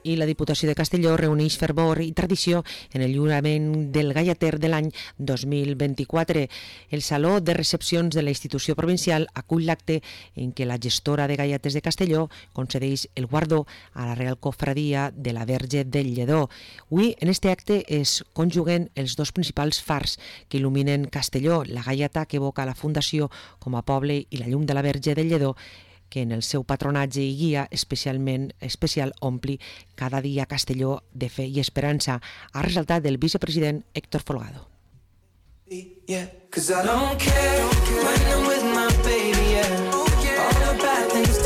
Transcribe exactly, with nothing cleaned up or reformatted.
I la Diputació de Castelló reuneix fervor i tradició en el lliurament del Gallater de l'any dos mil vint-i-quatre. El Saló de Recepcions de la institució provincial acull l'acte en què la gestora de Gallates de Castelló concedeix el guardó a la Real Cofradia de la Verge del Lledó. Avui, en este acte, es conjuguen els dos principals fars que il·luminen Castelló, la galleta que evoca la Fundació com a poble i la llum de la Verge del Lledó, que en el seu patronatge i guia especialment especial ompli cada dia Castelló de fe i esperança, ha ressaltat el vicepresident Héctor Folgado. Yeah, 'cause I don't care when